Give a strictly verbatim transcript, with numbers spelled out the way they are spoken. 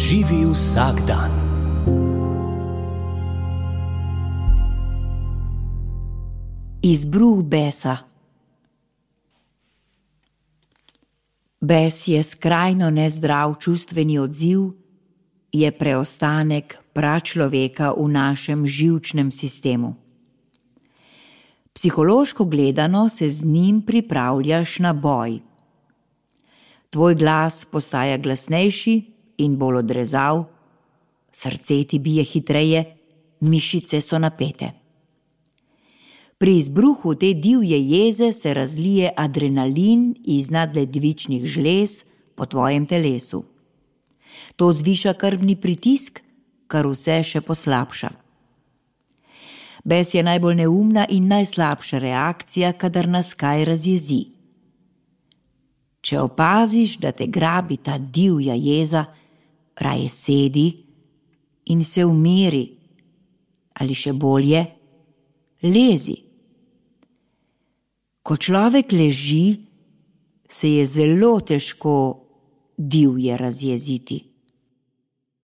Živi vsak dan. Izbruh besa. Bes je skrajno nezdrav čustveni odziv, je preostanek pračloveka v našem živčnem sistemu. Psihološko gledano se z njim pripravljaš na boj. Tvoj glas postaja glasnejši in bolj odrezav, srce ti bije hitreje, mišice so napete. Pri izbruhu te divje jeze se razlije adrenalin iz nadledvičnih žlez po tvojem telesu. To zviša krvni pritisk, kar vse še poslabša. Bes je najbolj neumna in najslabša reakcija, kadar nas kaj razjezi. Če opaziš, da te grabi ta divja jeza, raje sedi in se umiri, ali še bolje, lezi. Ko človek leži, se je zelo težko divje razjeziti.